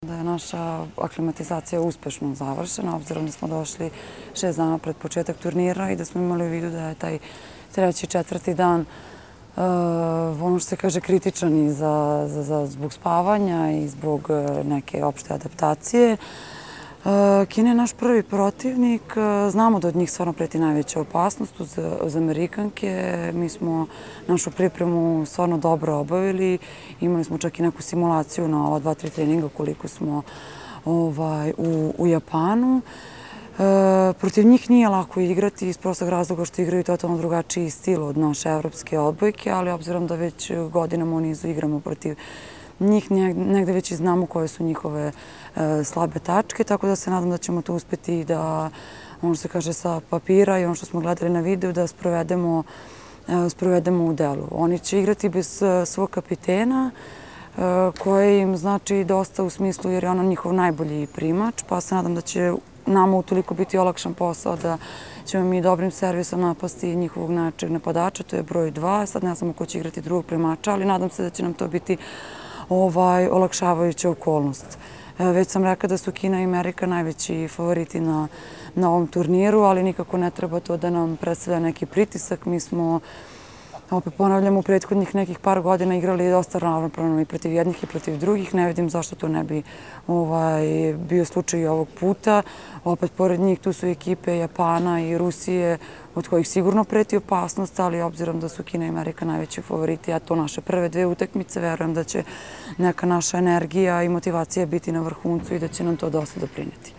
Da je naša aklimatizacija uspešno završena, obzirom da smo došli 6 dana pred početak turnira i da smo imali u vidu da je taj treći, četvrti dan ono što se kaže kritičan i zbog spavanja i zbog neke opšte adaptacije. Kina je naš prvi protivnik. Znamo da od njih stvarno preti najveća opasnost uz Amerikanke. Mi smo našu pripremu stvarno dobro obavili. Imali smo čak i neku simulaciju na ova 2-3 treninga koliko smo u Japanu. Protiv njih nije lako igrati iz prostog razloga što igraju totalno drugačiji stil od naše evropske odbojke, ali obzirom da već godinama u nizu igramo protiv njih, negde već i znamo koje su njihove slabe tačke, tako da se nadam da ćemo to uspeti da, ono što se kaže sa papira i ono što smo gledali na videu, da sprovedemo u delu. Oni će igrati bez svog kapitena, koje im znači dosta u smislu jer je ona njihov najbolji primač, pa se nadam da će nama utoliko biti olakšan posao da ćemo mi dobrim servisom napasti njihovog najjačeg napadača, to je broj 2. Sad ne znamo ko će igrati drugog primača, ali nadam se da će nam to biti olakšavajuća okolnost. Već sam rekla da su Kina i Amerika najveći favoriti na ovom turniru, ali nikako ne treba to da nam predstavlja neki pritisak. Mi smo, opet ponavljam, u prethodnih nekih par godina igrali dosta ravnopravno i protiv jednih i protiv drugih. Ne vidim zašto to ne bi bio slučaj i ovog puta. Opet, pored njih, tu su ekipe Japana i Rusije, od kojih sigurno preti opasnost, ali obzirom da su Kina i Amerika najveći favoriti, a to naše prve 2 utakmice, verujem da će neka naša energija i motivacija biti na vrhuncu i da će nam to dosta doprineti.